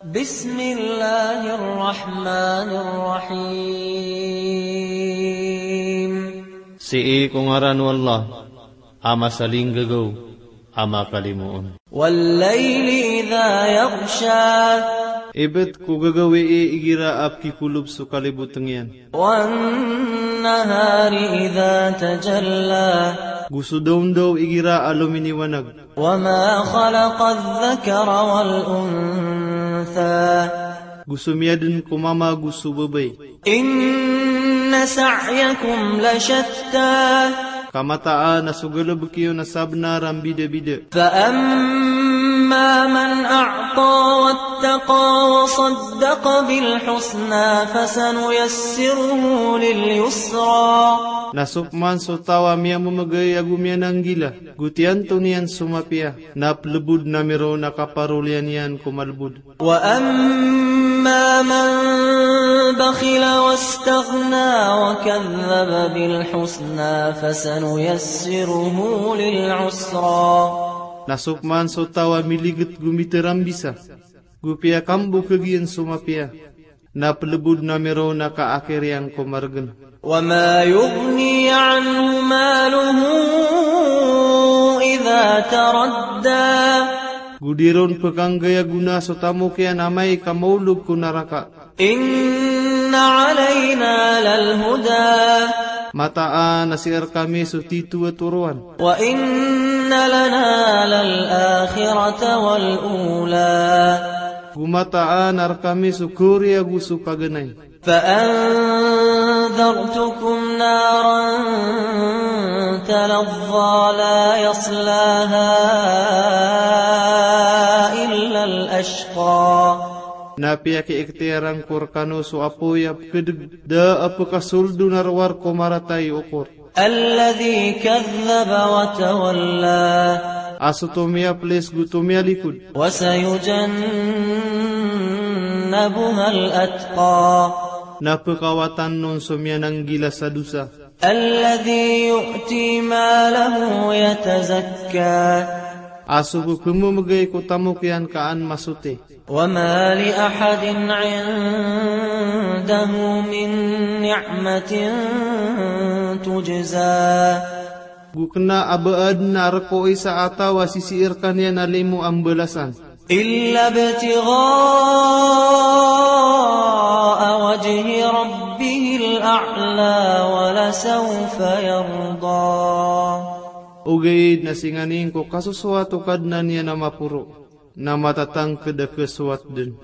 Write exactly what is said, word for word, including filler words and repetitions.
بسم الله الرحمن الرحيم. Sii ko ngaran o Allah, a masalinggagaw, a makalimoon. والليل إذا يغشى. Ibt ko gagawii igira a pkikolob so kalibotng iyan. والنهار إذا تجلى. Go so dawndaw igira a lominiwanag. وما خلق الذكر والأنثى. Go so miyadn ko mama go so babay. إن سعيكم لشتى. Ka mataan a so galbk iyo na sabnar a mbidabida. فأما من أعطى واتقى وصدق بالحسنى فسنيسره لليسرى. Na so pman so taw a miyamamgay ago miyananggila, go tiyanto niyan so mapiya, na plbod na miron a kaparoliyan iyan ko malbod. وأما من بخل واستغنى وكذب بالحسنى فسنيسره للعسرى. Na so pman so taw a miligit go mitarambisa, go piyakambokg iyan so mapiya, na plbod na miron a kaakir iyan ko margn. وما يغني عنه ماله إذا تردى. Go di ron pkhanggaya gona so tamok iyan amay ka maolog ko naraka. إن علينا للهدى. Mataan a sii rkami so titho a toroan. وإن لنا للآخرة والأولى. Go mataan a rkami so kaori ago so paganay. فأنذرتكم نارا تلظى لا يصلاها إلا الأشقى. Na piyakiikhtiyar angko rkano so apoy a pkdg, da a pkasold on a rowar ko marata i okor. الذي كذب وتولى. A so tomiyaplis go tomiyalikod. وسيجنبها الأتقى. Na pkawatan on so miyananggila sa dosa. الذي يؤتي ماله يتزكى. A so pphmamgay ko tamok iyan ka an masote. وما لأحد عنده من نعمة تجزى. Go kna a ba adn a rk o isa a taw a sisii rkaniyan a limo a mbalasan. إلا ابتغاء وجه ربه الأعلى ولسوف يرضى. Ogaid na singanin ko kasosowat o Kadnan iyan a maporo, na matatangkd a kasowat dn.